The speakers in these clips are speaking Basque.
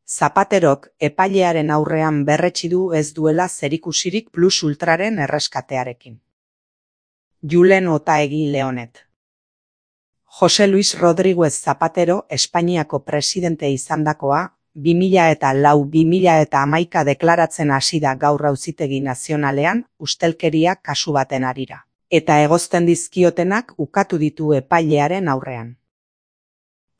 Zapaterok epailearen aurrean berretsi du ez duela zerikusirik Plus Ultraren erreskatearekin. Julen Otaegi Leonet. Jose Luis Rodríguez Zapatero Espainiako presidente izandakoa, 2004-2011 deklaratzen hasi da gaur Auzitegi Nazionalean ustelkeria kasu baten harira, eta egozten dizkiotenak ukatu ditu epailearen aurrean.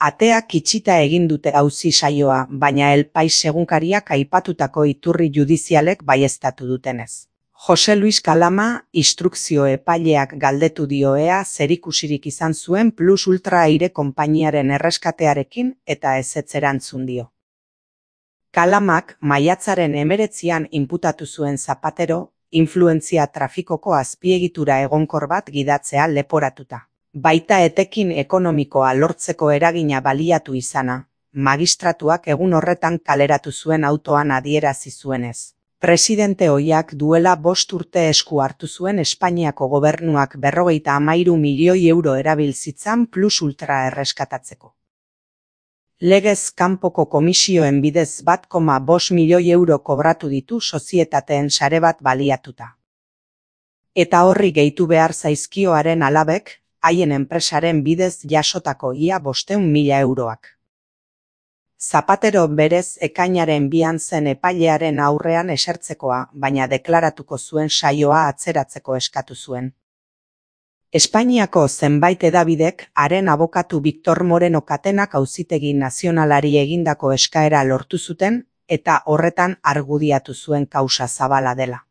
Ateak itxita egin dute auzi saioa, baina El Pais egunkariak aipatutako iturri judizialek baieztatu dutenez. Jose Luis Kalama instrukzio epaileak galdetu dio ea zerikusirik izan zuen Plus Ultra aire konpainiaren erreskatearekin eta ezetz erantzun dio. Kalamak maiatzaren 19an inputatu zuen Zapatero, influentzia trafikoko azpiegitura egonkor bat gidatzea leporatuta. Baita etekin ekonomikoa lortzeko eragina baliatu izana, magistratuak egun horretan kaleratu zuen autoan adierazi zuenez. Presidente ohiak duela 5 urte esku hartu zuen Espainiako gobernuak 53 milioi euro erabil zitzan Plus Ultra erreskatatzeko. Legez kanpoko komisioen bidez 1,5 milioi euro kobratu ditu sozietateen sare bat baliatuta. Eta horri gehitu behar zaizkioaren alabek, haien enpresaren bidez jasotako ia 500.000 euroak. Zapatero berez ekainaren 2an zen epailearen aurrean esertzekoa, baina deklaratuko zuen saioa atzeratzeko eskatu zuen. Espainiako zenbait hedabidek haren abokatu Victor Moreno Katenak Auzitegi Nazionalari egindako eskaera lortu zuten eta horretan argudiatu zuen kausa zabala dela.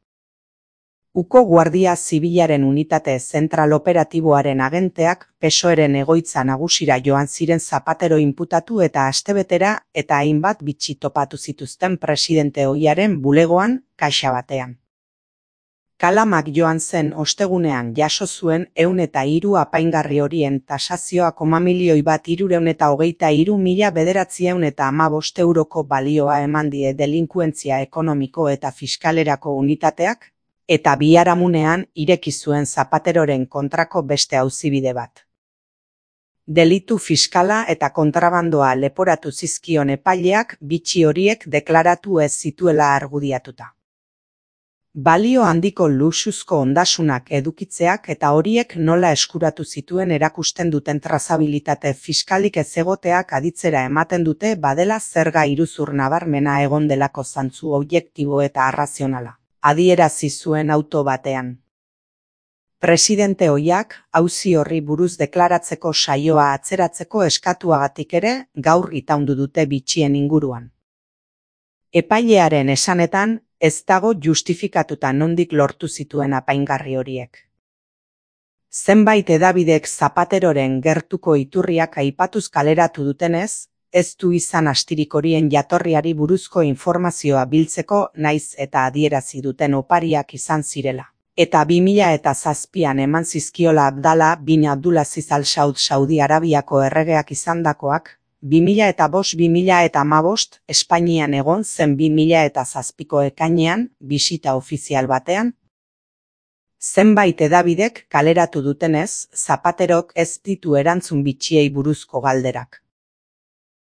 Uko Guardia Zibilaren unitate zentral operatiboaren agenteak PSOEren egoitza nagusira joan ziren Zapatero inputatu eta astebetera eta hainbat bitxi topatu zituzten presidente ohiaren bulegoan, kaxa batean. Kalamak joan zen ostegunean jaso zuen 103 apaingarri horien tasazioa 1.323.915 euroko balioa eman die delinkuentzia ekonomiko eta fiskalerako unitateak, eta biharamunean ireki zuen Zapateroren kontrako beste auzibide bat. Delitu fiskala eta kontrabandoa leporatu zizkion epaileak bitxi horiek deklaratu ez zituela argudiatuta. Balio handiko luxuzko ondasunak edukitzeak eta horiek nola eskuratu zituen erakusten duten trazabilitate fiskalik ez egoteak aditzera ematen dute badela zerga iruzur nabarmena egon delako zantzu objektibo eta arrazionala, adierazi zuen auto batean. Presidente ohiak auzi horri buruz deklaratzeko saioa atzeratzeko eskatuagatik ere gaur itaundu dute bitxien inguruan. Epailearen esanetan, ez dago justifikatuta nondik lortu zituen apaingarri horiek. Zenbait hedabidek Zapateroren gertuko iturriak aipatuz kaleratu dutenez, ez du izan astirik horien jatorriari buruzko informazioa biltzeko naiz eta adierazi duten opariak izan zirela. Eta 2007an eman zizkiola Abdala bin Abdulaziz Al Saud Saudi Arabiako erregeak izandakoak, 2005-2015 Espainian egon zen 2007ko ekainean bisita ofizial batean. Zenbait hedabidek kaleratu dutenez, Zapaterok ez ditu erantzun bitxiei buruzko galderak.